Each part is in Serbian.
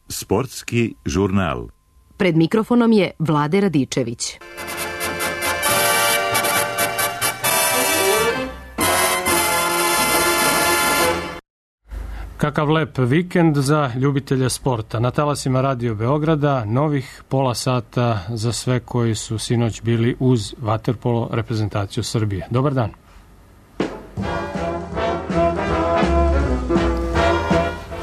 Sportski žurnal. Pred mikrofonom je Vlade Radičević. Kakav lep vikend za ljubitelje sporta. Na talasima Radio Beograda novih pola sata za sve koji su sinoć bili uz vaterpolo reprezentaciju Srbije. Dobar dan.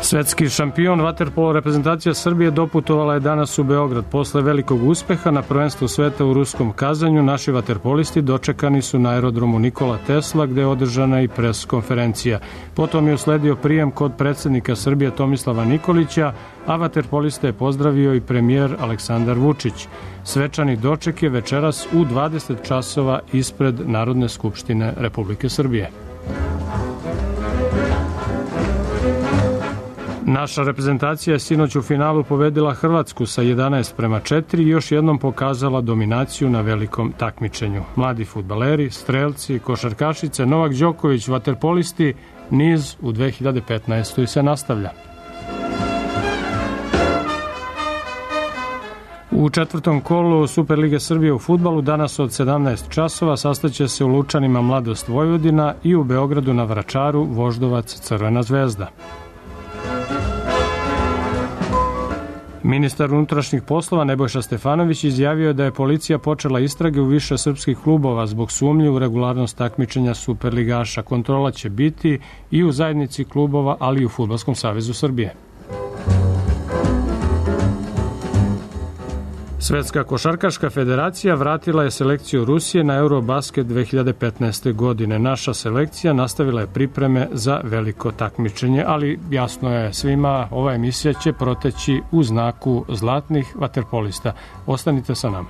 Svetski šampion vaterpolo reprezentacija Srbije doputovala je danas u Beograd. Posle velikog uspeha na prvenstvu sveta u ruskom Kazanju, naši vaterpolisti dočekani su na aerodromu Nikola Tesla, gde je održana i pres konferencija. Potom je usledio prijem kod predsednika Srbije Tomislava Nikolića, a vaterpoliste je pozdravio i premijer Aleksandar Vučić. Svečani doček je večeras u 20 časova ispred Narodne skupštine Republike Srbije. Naša reprezentacija je sinoć u finalu pobedila Hrvatsku sa 11:4 i još jednom pokazala dominaciju na velikom takmičenju. Mladi fudbaleri, strelci, košarkašice, Novak Đoković, vaterpolisti, niz u 2015. se nastavlja. U četvrtom kolu Superlige Srbije u fudbalu danas od 17 časova sastaće se u Lučanima Mladost Vojvodina i u Beogradu na Vračaru Voždovac Crvena zvezda. Ministar unutrašnjih poslova Nebojša Stefanović izjavio je da je policija počela istrage u više srpskih klubova zbog sumnje u regularnost takmičenja superligaša. Kontrola će biti i u zajednici klubova, ali i u Fudbalskom savezu Srbije. Svetska košarkaška federacija vratila je selekciju Rusije na Eurobasket 2015. godine. Naša selekcija nastavila je pripreme za veliko takmičenje, ali jasno je svima, ova emisija će proteći u znaku zlatnih vaterpolista. Ostanite sa nama.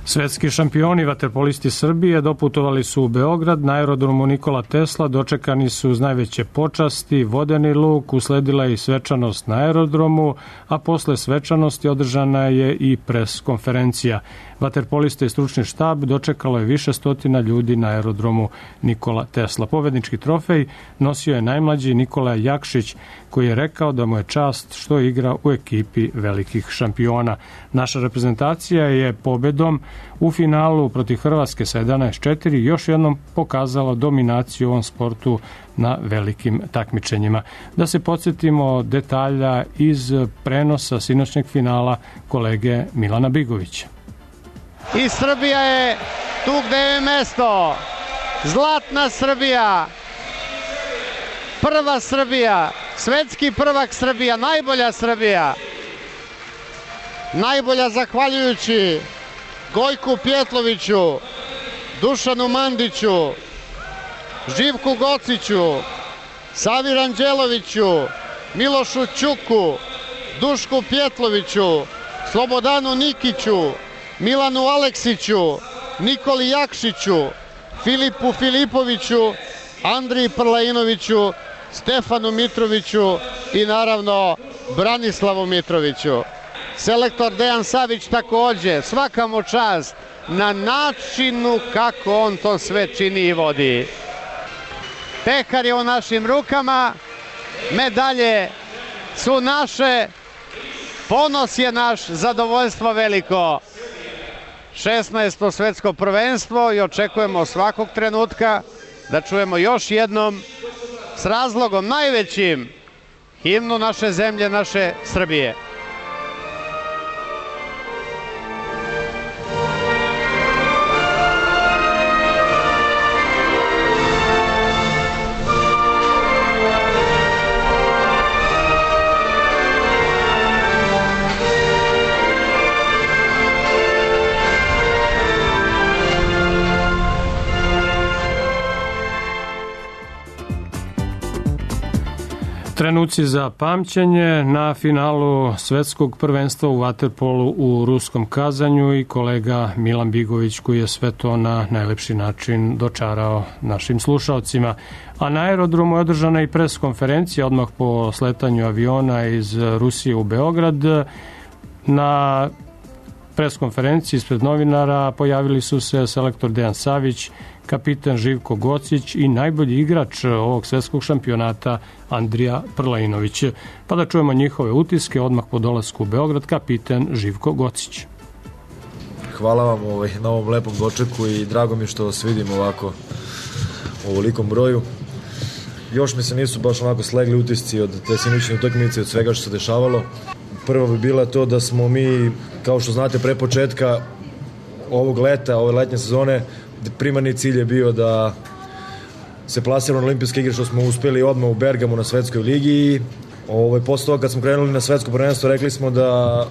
Svetski šampioni vaterpolisti Srbije doputovali su u Beograd. Na aerodromu Nikola Tesla dočekani su uz najveće počasti, vodeni luk, usledila je i svečanost na aerodromu, a posle svečanosti održana je i pres konferencija. Vaterpoliste i stručni štab dočekalo je više stotina ljudi na aerodromu Nikola Tesla. Pobednički trofej nosio je najmlađi Nikola Jakšić, koji je rekao da mu je čast što igra u ekipi velikih šampiona. Naša reprezentacija je pobedom u finalu protiv Hrvatske sa 11:4 još jednom pokazala dominaciju u ovom sportu na velikim takmičenjima. Da se podsjetimo detalja iz prenosa sinoćnjeg finala kolege Milana Bigovića. I Srbija je tu gde je mesto. Zlatna Srbija, prva Srbija, svetski prvak Srbija, najbolja Srbija. Najbolja zahvaljujući Gojku Pjetloviću, Dušanu Mandiću, Živku Gociću, Savi Ranđeloviću, Milošu Ćuku, Dušku Pjetloviću, Slobodanu Nikiću, Milanu Aleksiću, Nikoli Jakšiću, Filipu Filipoviću, Andriji Prlainoviću, Stefanu Mitroviću i naravno Branislavu Mitroviću. Selektor Dejan Savić takođe, svaka mu čast na načinu kako on to sve čini i vodi. Pehar je u našim rukama, medalje su naše, ponos je naš, zadovoljstvo veliko. 16. svetsko prvenstvo i očekujemo svakog trenutka da čujemo još jednom s razlogom najvećim himnu naše zemlje, naše Srbije. Trenuci za pamćenje na finalu svetskog prvenstva u vaterpolu u Ruskom Kazanju i kolega Milan Bigović koji je sve to na najlepši način dočarao našim slušaocima. A na aerodromu je održana i pres konferencija odmah po sletanju aviona iz Rusije u Beograd. Na pres konferenciji ispred novinara pojavili su se selektor Dejan Savić, kapitan Živko Gocić i najbolji igrač ovog svetskog šampionata Andrija Prlainović. Pa da čujemo njihove utiske odmah po dolasku u Beograd, kapitan Živko Gocić. Hvala vam na ovom lepom dočeku i drago mi što vas vidim ovako u ovolikom broju. Još mi se nisu baš onako slegli utisci od te sinoćne utakmice, od svega što se dešavalo. Prvo bi bila to da smo mi, kao što znate, pre početka ovog leta, ove letnje sezone, primarni cilj je bio da se plasiramo na olimpijske igre, što smo uspeli odmah u Bergamu na svetskoj ligi i posle toga kad smo krenuli na svetsko prvenstvo rekli smo da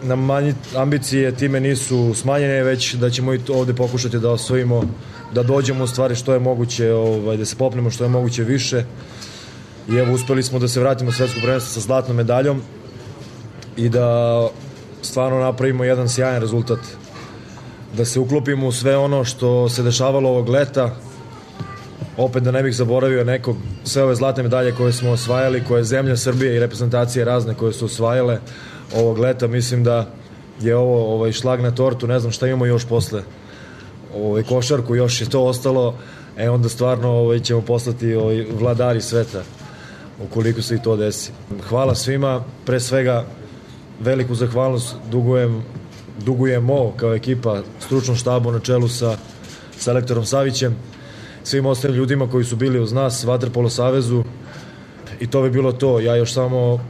nam manje ambicije time nisu smanjene, već da ćemo i ovde pokušati da osvojimo, da dođemo u stvari što je moguće, da se popnemo što je moguće više i evo uspeli smo da se vratimo u svetsko prvenstvo sa zlatnom medaljom i da stvarno napravimo jedan sjajan rezultat, da se uklopimo u sve ono što se dešavalo ovog leta. Opet da ne bih zaboravio nekog, sve ove zlatne medalje koje smo osvajali, koje zemlja Srbije i reprezentacije razne koje su osvajale ovog leta, mislim da je ovo šlag na tortu, ne znam šta imamo još posle košarku, još je to ostalo, onda stvarno ćemo postati vladari sveta ukoliko se i to desi. Hvala svima, pre svega veliku zahvalnost dugujemo kao ekipa stručnom štabu na čelu sa selektorom Savićem, svim ostalim ljudima koji su bili uz nas, Vaterpolo savezu i to bi bilo to. Ja još samo,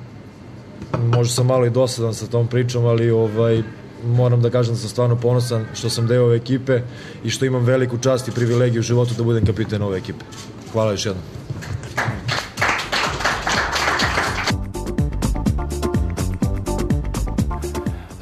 možda sam malo i dosadan sa tom pričom, ali moram da kažem da sam stvarno ponosan što sam deo ove ekipe i što imam veliku čast i privilegiju u životu da budem kapitan ove ekipe. Hvala još jednom.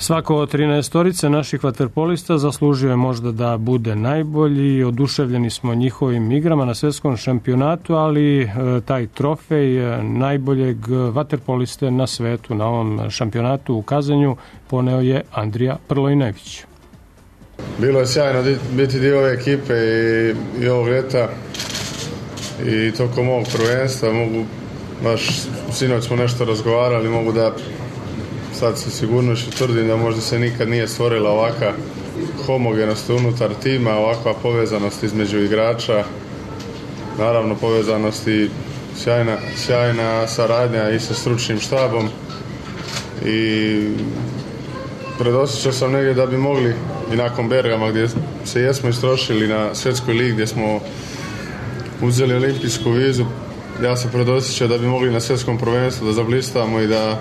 Svako od 13 naših vaterpolista zaslužio je možda da bude najbolji. Oduševljeni smo njihovim igrama na svetskom šampionatu, ali taj trofej najboljeg vaterpoliste na svetu na ovom šampionatu u Kazanju poneo je Andrija Prlainović. Bilo je sjajno biti dio ove ekipe i ovog ljeta i tokom ovog prvenstva. Baš sinoć smo nešto razgovarali, mogu da sad sa sigurnošću tvrdim da možda se nikad nije stvorila ovaka homogenost unutar tima, ovakva povezanost između igrača, naravno povezanost i sjajna saradnja i sa stručnim štabom i predosjećao sam negdje da bi mogli i nakon Bergama gdje se jesmo istrošili na svjetskoj ligi gdje smo uzeli olimpijsku vizu, ja sam predosjećao da bi mogli na svjetskom prvenstvu da zablistamo i da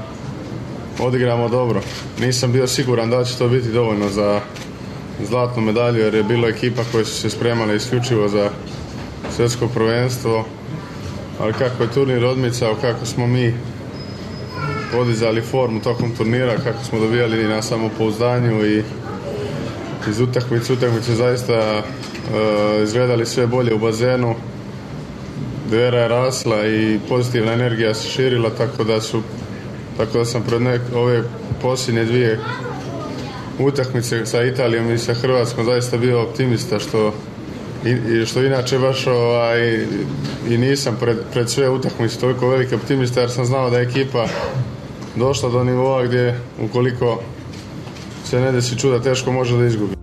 odigramo dobro. Nisam bio siguran da će to biti dovoljno za zlatnu medalju jer je bilo ekipa koje su se spremale isključivo za svjetsko prvenstvo, ali kako je turnir odmicao, kako smo mi podizali formu tokom turnira, kako smo dobijali na samopouzdanju i iz utakmice zaista izgledali sve bolje u bazenu, vera je rasla i pozitivna energija se širila, tako da sam pred ove posljednje dvije utakmice sa Italijom i sa Hrvatskom zaista bio optimista, što inače baš i nisam pred sve utakmice toliko veliki optimista jer sam znao da je ekipa došla do nivoa gdje ukoliko se ne desi čuda teško može da izgubi.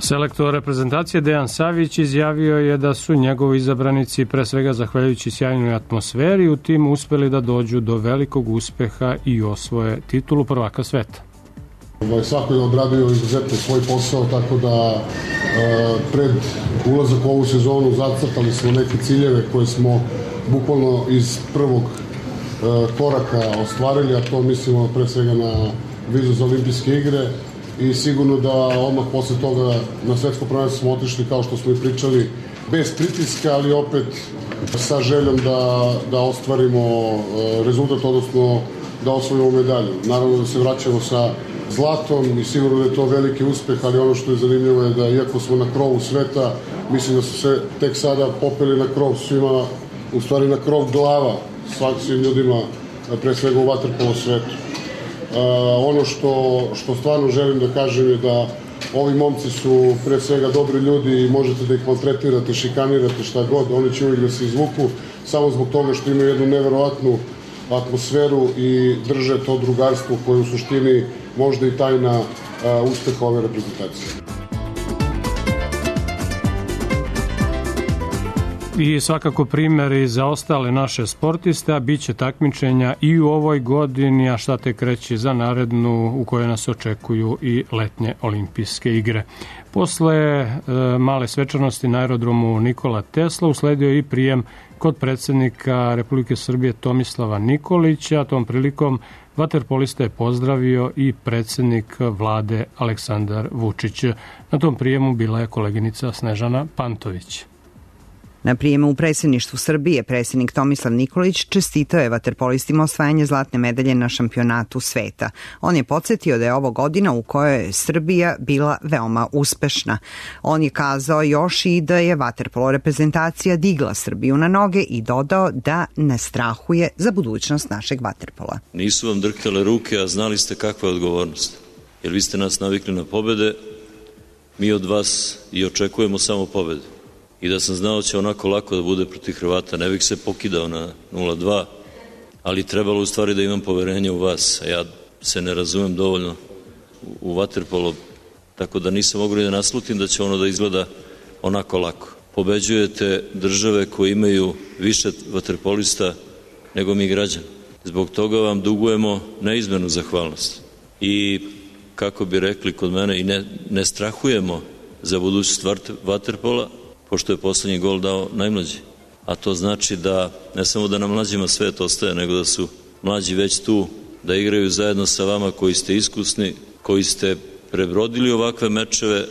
Selektor reprezentacije Dejan Savić izjavio je da su njegovi izabranici pre svega zahvaljujući sjajnoj atmosferi u timu uspeli da dođu do velikog uspeha i osvoje titulu prvaka sveta. Svako je odradio izuzetno svoj posao, tako da pred ulazak u ovu sezonu zacrtali smo neke ciljeve koje smo bukvalno iz prvog koraka ostvarili, a to mislimo pre svega na vizu za olimpijske igre. I sigurno da odmah posle toga na svetsko prvenstvo smo otišli, kao što smo i pričali, bez pritiska, ali opet sa željom da ostvarimo rezultat, odnosno da osvojimo medalju. Naravno da se vraćamo sa zlatom i sigurno da je to veliki uspeh, ali ono što je zanimljivo je da iako smo na krovu sveta, mislim da su se tek sada popeli na krov svima, u stvari na krov glava svim ljudima, pre svega u vaterpolo svetu. Ono što stvarno želim da kažem je da ovi momci su pre svega dobri ljudi i možete da ih maltretirate, šikanirate, šta god, oni će uvijek da se izvuku samo zbog toga što imaju jednu neverovatnu atmosferu i drže to drugarstvo koje je u suštini možda i tajna uspeha ove reprezentacije. I svakako primjeri za ostale naše sportiste, a bit će takmičenja i u ovoj godini, a šta tek reći za narednu u kojoj nas očekuju i letnje olimpijske igre. Posle male svečanosti na aerodromu Nikola Tesla usledio i prijem kod predsjednika Republike Srbije Tomislava Nikolića. Tom prilikom vaterpolista je pozdravio i predsjednik vlade Aleksandar Vučić. Na tom prijemu bila je koleginica Snežana Pantović. Na prijemu u predsjedništvu Srbije predsjednik Tomislav Nikolić čestitao je vaterpolistima osvajanje zlatne medalje na šampionatu sveta. On je podsjetio da je ovo godina u kojoj je Srbija bila veoma uspešna. On je kazao još i da je vaterpolo reprezentacija digla Srbiju na noge i dodao da ne strahuje za budućnost našeg vaterpola. Nisu vam drhtale ruke, a znali ste kakva je odgovornost. Jer vi ste nas navikli na pobede, mi od vas i očekujemo samo pobede. I da sam znao da će onako lako da bude protiv Hrvata, ne bih se pokidao na 0-2, ali trebalo u stvari da imam poverenje u vas, a ja se ne razumem dovoljno u vaterpolo, tako da nisam mogao da naslutim da će ono da izgleda onako lako. Pobeđujete države koje imaju više vaterpolista nego mi građani. Zbog toga vam dugujemo neizmernu zahvalnost. I kako bi rekli kod mene, i ne strahujemo za budućnost vaterpola, pošto je poslednji gol dao najmlađi. A to znači da ne samo da nam mlađima svet ostaje, nego da su mlađi već tu, da igraju zajedno sa vama koji ste iskusni, koji ste prebrodili ovakve mečeve.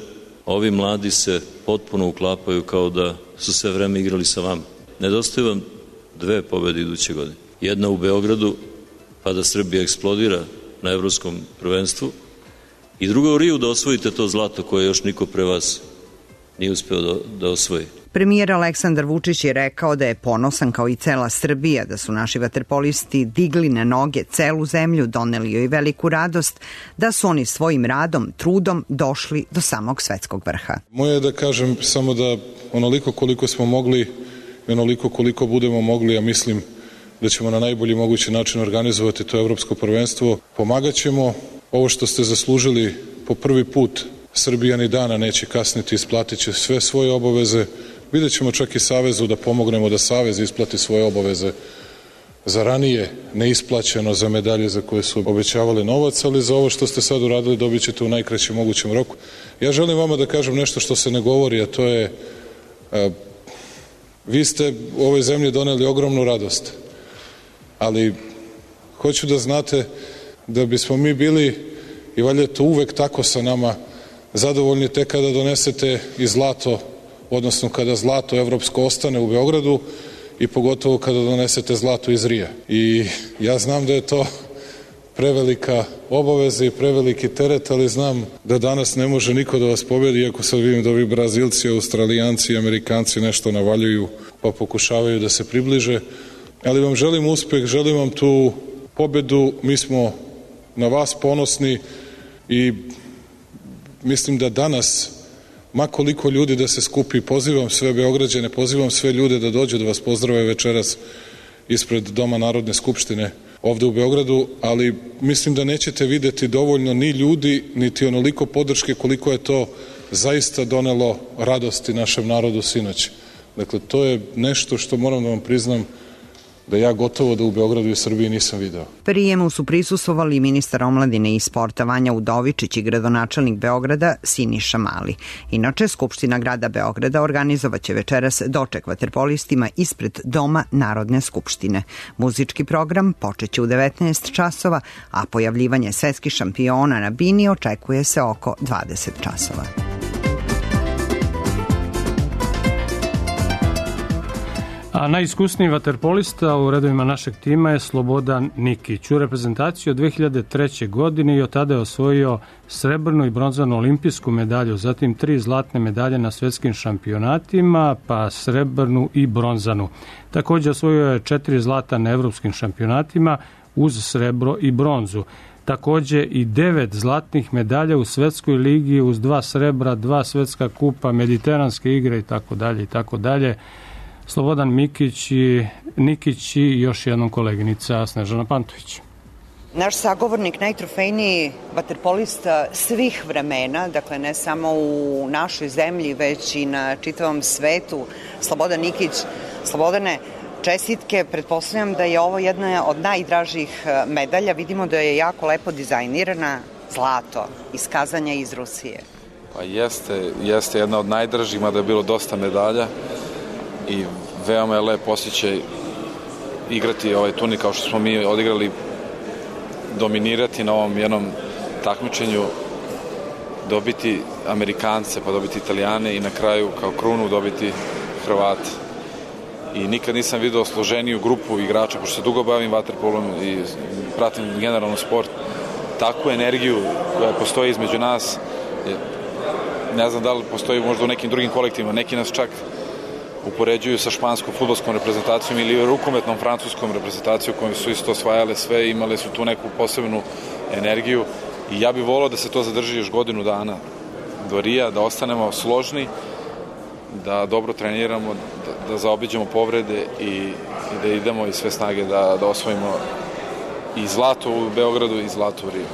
Ovi mladi se potpuno uklapaju kao da su sve vreme igrali sa vama. Nedostaju vam 2 pobede iduće godine. Jedna u Beogradu, pa da Srbija eksplodira na evropskom prvenstvu, i druga u Riju, da osvojite to zlato koje još niko pre vas nije uspeo da osvoji. Premijer Aleksandar Vučić je rekao da je ponosan kao i cela Srbija, da su naši vaterpolisti digli na noge celu zemlju, doneli joj veliku radost, da su oni svojim radom, trudom došli do samog svetskog vrha. Moje je da kažem samo da onoliko koliko smo mogli i onoliko koliko budemo mogli, ja mislim da ćemo na najbolji mogući način organizovati to evropsko prvenstvo. Pomagaćemo. Ovo što ste zaslužili po prvi put, Srbija ni dana neće kasniti, isplatit će sve svoje obaveze. Vidjet ćemo čak i Savezu da pomognemo da Savez isplati svoje obaveze za ranije neisplaćeno, za medalje za koje su obećavali novac, ali za ovo što ste sad uradili dobit ćete u najkraćem mogućem roku. Ja želim vama da kažem nešto što se ne govori, a to je vi ste u ovoj zemlji doneli ogromnu radost, ali hoću da znate da bismo mi bili, i valjda je to uvek tako sa nama, zadovoljni tek kada donesete i zlato, odnosno kada zlato evropsko ostane u Beogradu i pogotovo kada donesete zlato iz Rija. I ja znam da je to prevelika obaveza i preveliki teret, ali znam da danas ne može niko da vas pobedi, iako sad vidim da ovi Brazilci, Australijanci i Amerikanci nešto navaljuju pa pokušavaju da se približe. Ali vam želim uspeh, želim vam tu pobedu, mi smo na vas ponosni i mislim da danas, ma koliko ljudi da se skupi, pozivam sve Beograđane, pozivam sve ljude da dođu da vas pozdrave večeras ispred Doma Narodne skupštine ovde u Beogradu, ali mislim da nećete videti dovoljno ni ljudi, niti onoliko podrške koliko je to zaista donelo radosti našem narodu sinoć. Dakle, to je nešto što moram da vam priznam da ja gotovo da u Beogradu i Srbiji nisam video. Prijemu su prisustvovali ministar omladine i sporta Vanja Udovičić i gradonačelnik Beograda Siniša Mali. Inače, Skupština grada Beograda organizovaće večeras doček vaterpolistima ispred Doma Narodne skupštine. Muzički program počeće u 19 časova, a pojavljivanje svetskih šampiona na bini očekuje se oko 20 časova. A najiskusniji vaterpolista u redovima našeg tima je Slobodan Nikić. U reprezentaciji od 2003. godine i od tada je osvojio srebrnu i bronzanu olimpijsku medalju, zatim 3 zlatne medalje na svetskim šampionatima, pa srebrnu i bronzanu. Također osvojio je 4 zlata na evropskim šampionatima uz srebro i bronzu. Također i 9 zlatnih medalja u svetskoj ligi uz 2 srebra, 2 svetska kupa, mediteranske igre itd. Slobodan Nikić i još jednom koleginica Snežana Pantović. Naš sagovornik, najtrofejniji vaterpolista svih vremena, dakle ne samo u našoj zemlji, već i na čitavom svetu, Slobodan Nikić. Slobodane, čestitke, pretpostavljam da je ovo jedna od najdražih medalja. Vidimo da je jako lepo dizajnirana, zlato, iz Kazanja iz Rusije. Pa jeste jedna od najdražih, mada je bilo dosta medalja i veoma je lep osjećaj igrati ovaj turnir kao što smo mi odigrali, dominirati na ovom jednom takmičenju, dobiti Amerikance, pa dobiti Italijane i na kraju kao krunu dobiti Hrvate. I nikad nisam video složeniju grupu igrača, pošto se dugo bavim vaterpolom i pratim generalno sport, takvu energiju koja postoji između nas, ne znam da li postoji možda u nekim drugim kolektivima, neki nas čak upoređuju sa španskom fudbalskom reprezentacijom ili rukometnom francuskom reprezentacijom kojom su isto osvajale sve i imale su tu neku posebnu energiju i ja bih volao da se to zadrži još godinu dana do Rija, da ostanemo složni, da dobro treniramo, da zaobiđemo povrede i da idemo iz sve snage da osvojimo i zlato u Beogradu i zlato u Riju.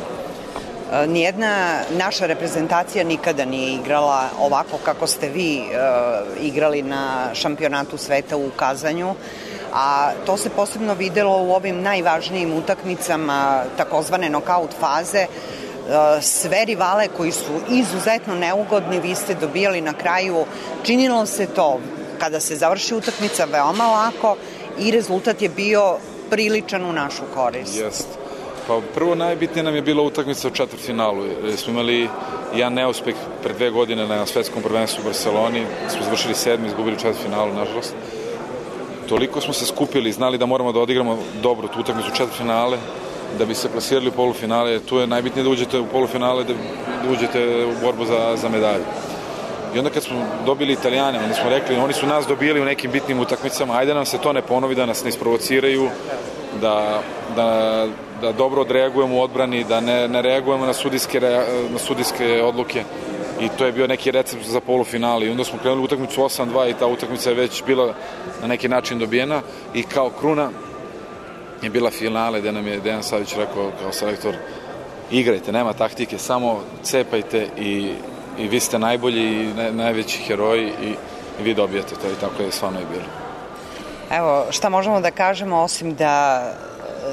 Nijedna naša reprezentacija nikada nije igrala ovako kako ste vi igrali na šampionatu sveta u Kazanju, a to se posebno videlo u ovim najvažnijim utakmicama takozvane nokaut faze. Sve rivale koji su izuzetno neugodni vi ste dobijali na kraju. Činilo se to kada se završi utakmica veoma lako i rezultat je bio priličan u našu korist. Jest. Pa prvo najbitnije nam je bila utakmica u četvrtfinalu. Smo imali jedan neuspeh pre 2 godine na svetskom prvenstvu u Barceloni. Smo završili 7. izgubili četvrtfinalu, nažalost. Toliko smo se skupili i znali da moramo da odigramo dobro tu utakmicu u četvrtfinale da bi se plasirali u polufinale. Tu je najbitnije da uđete u polufinale, da uđete u borbu za medalje. I onda kad smo dobili Italijane, onda smo rekli, oni su nas dobili u nekim bitnim utakmicama, ajde nam se to ne ponovi, da nas ne isprovociraju, da dobro odreagujemo u odbrani, da ne reagujemo na sudijske odluke. I to je bio neki recept za polufinale. I onda smo krenuli utakmicu 8-2 i ta utakmica je već bila na neki način dobijena i kao kruna je bila finale gde nam je Dejan Savić rekao kao selektor, igrajte, nema taktike, samo cepajte i vi ste najbolji i najveći heroji i vi dobijete to i tako je stvarno i bilo. Evo, šta možemo da kažemo osim da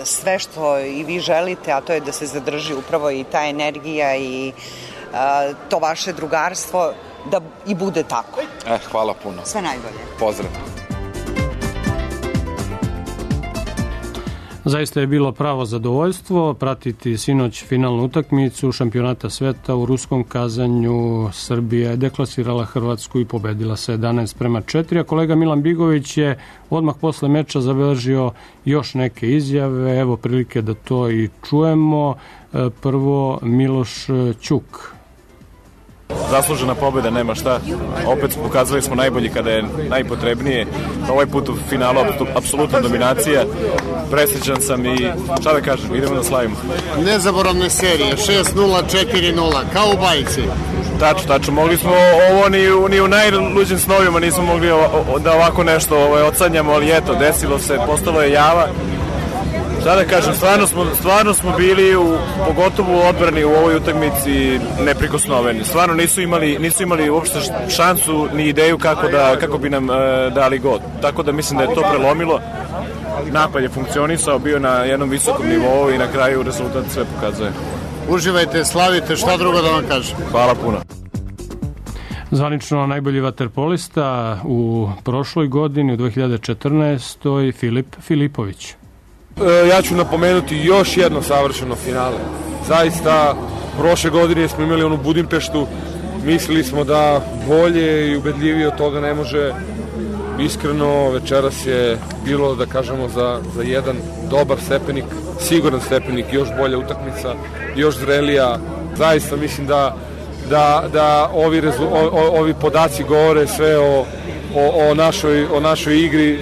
sve što i vi želite, a to je da se zadrži upravo i ta energija i to vaše drugarstvo, da i bude tako. Hvala puno. Sve najbolje. Pozdrav. Zaista je bilo pravo zadovoljstvo pratiti sinoć finalnu utakmicu šampionata sveta u ruskom Kazanju. Srbija je deklasirala Hrvatsku i pobedila se 11-4, a kolega Milan Bigović je odmah posle meča zabeležio još neke izjave. Evo prilike da to i čujemo. Prvo Miloš Ćuk. Zaslužena pobjeda, nema šta. Opet pokazali smo najbolji kada je najpotrebnije. Ovaj put u finalu apsolutna dominacija. Presrećan sam i šta da kažem, idemo da slavimo. Nezaboravne serije, 6-0, 4-0, kao u bajci. Tačno, mogli smo ovo ni u najluđim snovima nismo mogli da ovako nešto odsanjamo, ali eto, desilo se, postalo je java. Šta da kažem, stvarno smo bili pogotovo u odbrani u ovoj utakmici neprikosnoveni. Stvarno nisu imali uopšte šansu ni ideju kako bi nam dali gol. Tako da mislim da je to prelomilo. Napad je funkcionisao, bio na jednom visokom nivou i na kraju rezultat sve pokazuje. Uživajte, slavite, šta drugo da vam kažem. Hvala puno. Zvanično najbolji vaterpolista u prošloj godini, u 2014. Filip Filipović. Ja ću napomenuti još jedno savršeno finale. Zaista, prošle godine smo imali onu Budimpeštu, mislili smo da bolje i ubedljivije od toga ne može Iskreno, večeras je bilo, da kažemo, za jedan dobar stepenik, siguran stepenik, još bolja utakmica, još zrelija. Zaista mislim da ovi podaci govore sve o našoj igri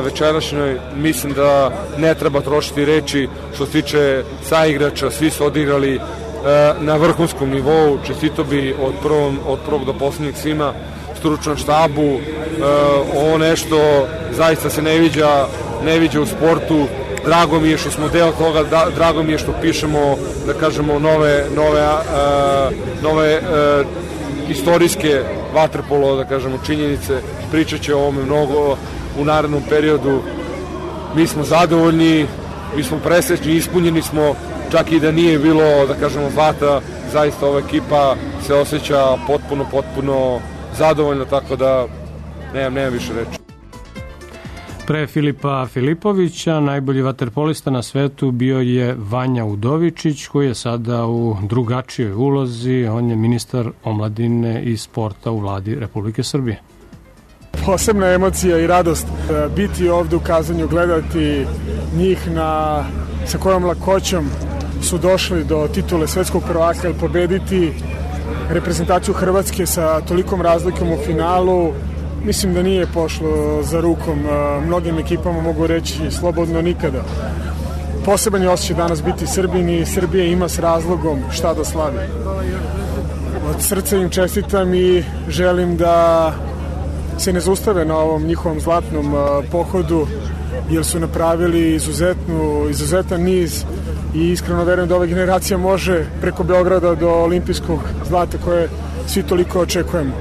večerašnjoj. Mislim da ne treba trošiti reči što se tiče saigrača, svi su odigrali na vrhunskom nivou. Čestito bi od prvog do poslednjeg svima, stručnom štabu. Ovo nešto zaista se ne viđa u sportu. Drago mi je što smo deo toga, drago mi je što pišemo, da kažemo, nove istorijske vaterpolo, da kažemo, činjenice. Pričat će o ovome mnogo u narednom periodu. Mi smo zadovoljni, mi smo presrećni, ispunjeni smo, čak i da nije bilo, da kažemo, zlata, zaista ova ekipa se osjeća potpuno zadovoljno, tako da nemam više reči. Pre Filipa Filipovića najbolji vaterpolista na svetu bio je Vanja Udovičić, koji je sada u drugačijoj ulozi. On je ministar omladine i sporta u vladi Republike Srbije. Posebna emocija i radost biti ovde u Kazanju, gledati njih sa kojom lakoćom su došli do titule svetskog prvaka, ili pobediti reprezentaciju Hrvatske sa tolikom razlikom u finalu. Mislim da nije pošlo za rukom mnogim ekipama, mogu reći slobodno nikada. Poseban je osjećaj danas biti Srbin i Srbija ima s razlogom šta da slavi. Od srca im čestitam i želim da se ne zaustave na ovom njihovom zlatnom pohodu, jer su napravili izuzetan niz i iskreno verujem da ova generacija može preko Beograda do olimpijskog zlata koje svi toliko očekujemo.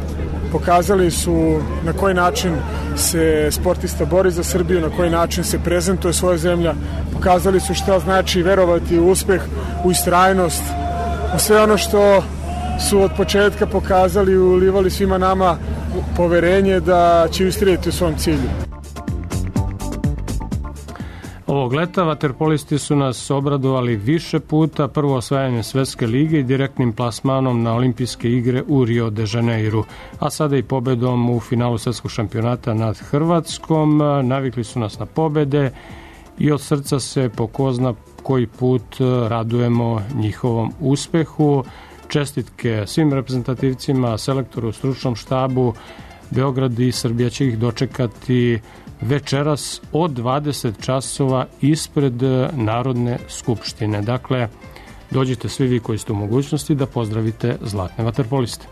Pokazali su na koji način se sportista bori za Srbiju, na koji način se prezentuje svoja zemlja. Pokazali su šta znači verovati u uspeh, u istrajnost, u sve ono što su od početka pokazali, ulivali svima nama poverenje da će ustrajati u svom cilju. Ovog leta vaterpolisti su nas obradovali više puta, prvo osvajanjem Svetske lige i direktnim plasmanom na olimpijske igre u Rio de Janeiru, a sada i pobedom u finalu svetskog šampionata nad Hrvatskom. Navikli su nas na pobede i od srca se po ko zna koji put radujemo njihovom uspehu. Čestitke svim reprezentativcima, selektoru, stručnom štabu. Beograd i Srbija će ih dočekati večeras od 20 časova ispred Narodne skupštine. Dakle, dođite svi vi koji ste u mogućnosti da pozdravite zlatne vaterpoliste.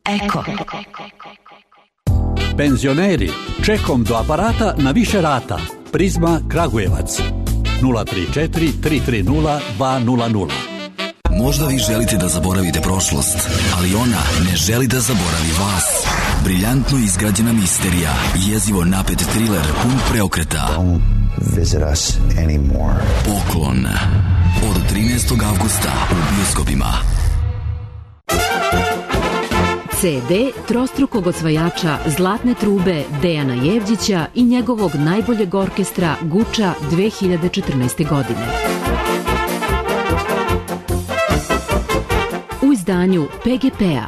Eko. Penzioneri, čekom do aparata na više rata. Prizma Kragujevac 034 330 200. Možda vi želite da zaboravite prošlost, ali ona ne želi da zaboravi vas. Briljantno izgrađena misterija, jezivo napet thriller pun preokreta. Don't visit us anymore. Poklon. Od 13. avgusta u bioskopima. CD trostrukog osvajača Zlatne trube Dejana Jevđića i njegovog najboljeg orkestra Guča 2014. godine. U izdanju PGP-a.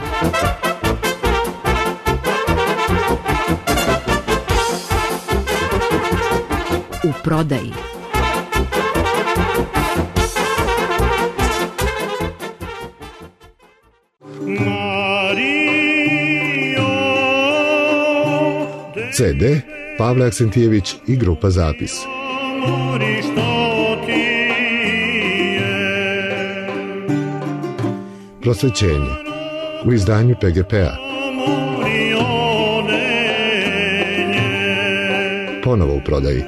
U prodaji. CD Pavle Aksentijević i grupa Zapis. Prosvećenje u izdanju PGP-a. Ponovo u prodaji.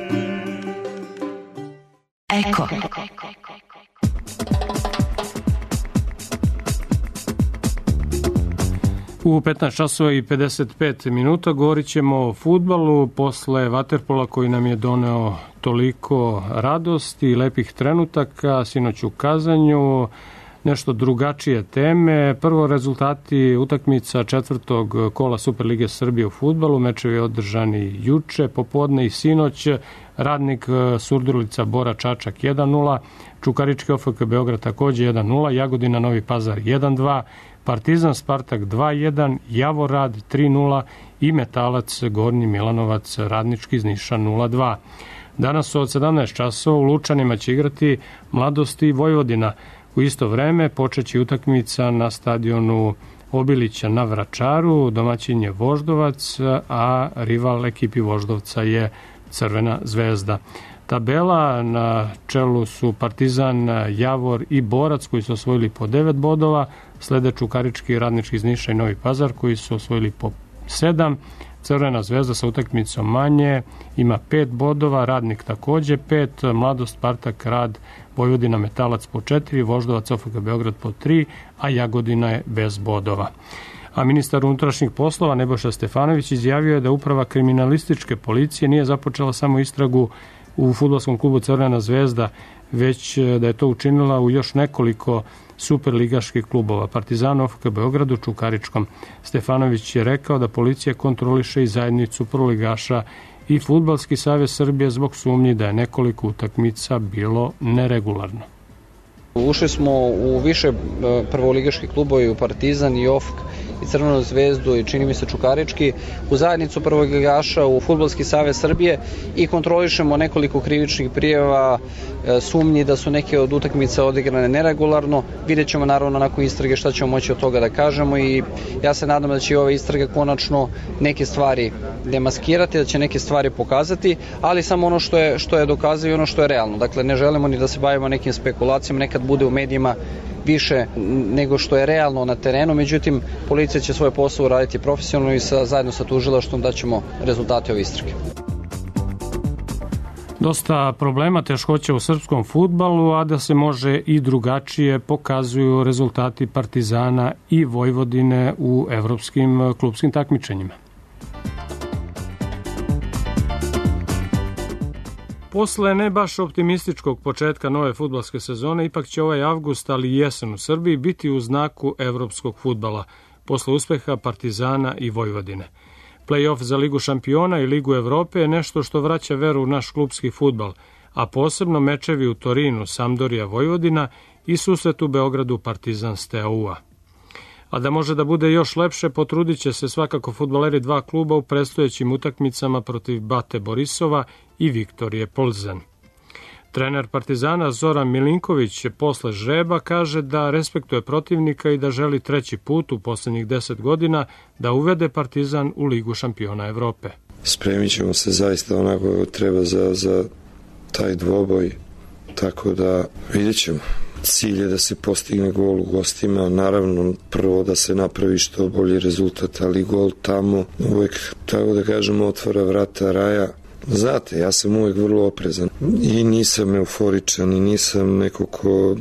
Eko. U 15 časova i 55 minuta govorit ćemo o fudbalu posle vaterpola koji nam je doneo toliko radosti i lepih trenutaka, sinoć u Kazanju, nešto drugačije teme. Prvo rezultati utakmica četvrtog kola Superlige Srbije u fudbalu, mečevi održani juče, popodne i sinoć. Radnik Surdulica Bora Čačak 1-0, Čukarički OFK Beograd takođe 1-0, Jagodina Novi Pazar 1-2, Partizan Spartak 2-1, Javorad 3-0 i Metalac Gornji Milanovac Radnički iz Niša 0-2. Danas od 17 časova u Lučanima će igrati Mladost i Vojvodina. U isto vreme počeće utakmica na stadionu Obilića na Vračaru, domaćin je Voždovac, a rival ekipi Voždovca je Crvena zvezda. Tabela, na čelu su Partizan, Javor i Borac koji su osvojili po 9 bodova, slede Čukarički, Radnički iz Niša i Novi Pazar koji su osvojili po 7. Crvena zvezda sa utakmicom manje ima 5 bodova, Radnik takođe 5, Mladost, Spartak, Rad, Vojvodina, Metalac po 4, Voždovac, OFK Beograd po 3, a Jagodina je bez bodova. A ministar unutrašnjih poslova Nebojša Stefanović izjavio je da uprava kriminalističke policije nije započela samo istragu u fudbalskom klubu Crvena zvezda, već da je to učinila u još nekoliko superligaških klubova, Partizanu, OFK Beogradu, Čukaričkom. Stefanović je rekao da policija kontroliše i zajednicu prvoligaša i Fudbalski savez Srbije zbog sumnji da je nekoliko utakmica bilo neregularno. Ušli smo u više prvoligaških klubova, u Partizan i OFK i Crvenu zvezdu i čini mi se Čukarički, u zajednicu prvoligaša, u Fudbalski savez Srbije i kontrolišemo nekoliko krivičnih prijava, sumnji da su neke od utakmica odigrane neregularno. Vidjet ćemo naravno nakon istrage šta ćemo moći od toga da kažemo i ja se nadam da će ove istrage konačno neke stvari demaskirati, da će neke stvari pokazati, ali samo ono što je dokazano i ono što je realno. Dakle, ne želimo ni da se bavimo nekim spekulacijama, nekad bude u medijima više nego što je realno na terenu, međutim, policija će svoj posao raditi profesionalno i zajedno sa tužilaštvom daćemo rezultate ove istrage. Dosta problema, teškoća u srpskom fudbalu, a da se može i drugačije pokazuju rezultati Partizana i Vojvodine u evropskim klupskim takmičenjima. Posle ne baš optimističkog početka nove fudbalske sezone, ipak će ovaj avgust, ali i jesen u Srbiji biti u znaku evropskog fudbala, posle uspeha Partizana i Vojvodine. Play-off za Ligu šampiona i Ligu Evrope je nešto što vraća veru u naš klupski fudbal, a posebno mečevi u Torinu, Sampdoria, Vojvodina i susret u Beogradu Partizan Steaua. A da može da bude još lepše, potrudit će se svakako fudbaleri dva kluba u predstojećim utakmicama protiv Bate Borisova i Viktorije Plzen. Trener Partizana Zoran Milinković posle žreba kaže da respektuje protivnika i da želi treći put u poslednjih 10 godina da uvede Partizan u Ligu šampiona Evrope. Spremit ćemo se zaista onako treba za taj dvoboj, tako da vidjet ćemo. Cilj je da se postigne gol u gostima, naravno prvo da se napravi što bolji rezultat, ali gol tamo uvek, tako da kažemo, otvara vrata raja. Znate, ja sam uvek vrlo oprezan i nisam euforičan i nisam neko ko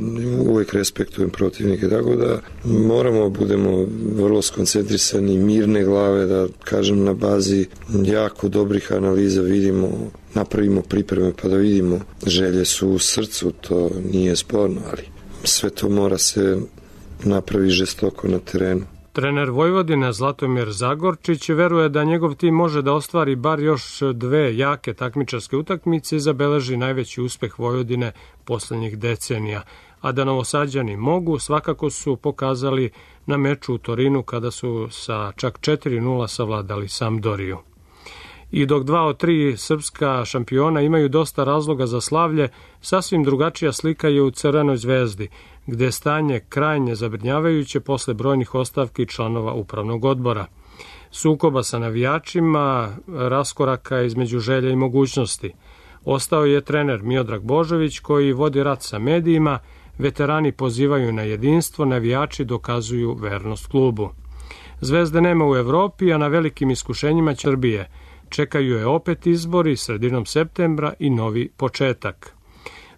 uvek respektujem protivnike, tako da moramo budemo vrlo skoncentrisani, mirne glave, da kažem na bazi jako dobrih analiza vidimo, napravimo pripreme pa da vidimo. Želje su u srcu, to nije sporno, ali sve to mora se napravi žestoko na terenu. Trener Vojvodine Zlatomir Zagorčić veruje da njegov tim može da ostvari bar još dve jake takmičarske utakmice i zabeleži najveći uspeh Vojvodine poslednjih decenija. A da Novosađani mogu, svakako su pokazali na meču u Torinu kada su sa čak 4-0 savladali Sampdoriju. I dok 2 od 3 srpska šampiona imaju dosta razloga za slavlje, sasvim drugačija slika je u Crvenoj zvezdi, gde je stanje krajnje zabrinjavajuće posle brojnih ostavki članova upravnog odbora. Sukoba sa navijačima, raskoraka između želja i mogućnosti. Ostao je trener Miodrag Božović koji vodi rat sa medijima, veterani pozivaju na jedinstvo, navijači dokazuju vernost klubu. Zvezde nema u Evropi, a na velikim iskušenjima Srbije. Čekaju je opet izbori sredinom septembra i novi početak.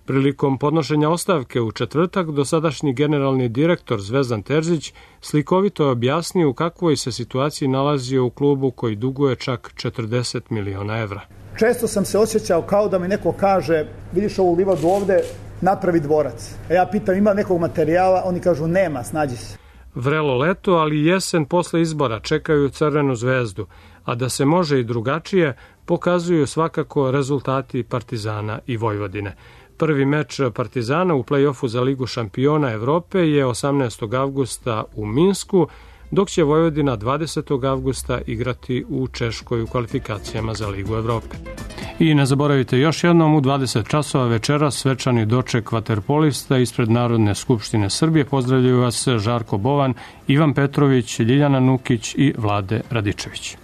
Prilikom podnošenja ostavke u četvrtak, dosadašnji generalni direktor Zvezdan Terzić slikovito je objasnio u kakvoj se situaciji nalazio u klubu koji duguje čak 40 miliona evra. Često sam se osjećao kao da mi neko kaže, vidiš ovu livadu ovde, napravi dvorac. A ja pitam, ima nekog materijala? Oni kažu, nema, snađi se. Vrelo leto, ali jesen posle izbora čekaju Crvenu zvezdu, a da se može i drugačije, pokazuju svakako rezultati Partizana i Vojvodine. Prvi meč Partizana u plej-ofu za Ligu šampiona Evrope je 18. avgusta u Minsku, dok će Vojvodina 20. avgusta igrati u Češkoj u kvalifikacijama za Ligu Evrope. I ne zaboravite još jednom, u 20 časova večeras svečani doček vaterpolista ispred Narodne skupštine Srbije. Pozdravljaju vas Žarko Bovan, Ivan Petrović, Ljiljana Nukić i Vlade Radičević.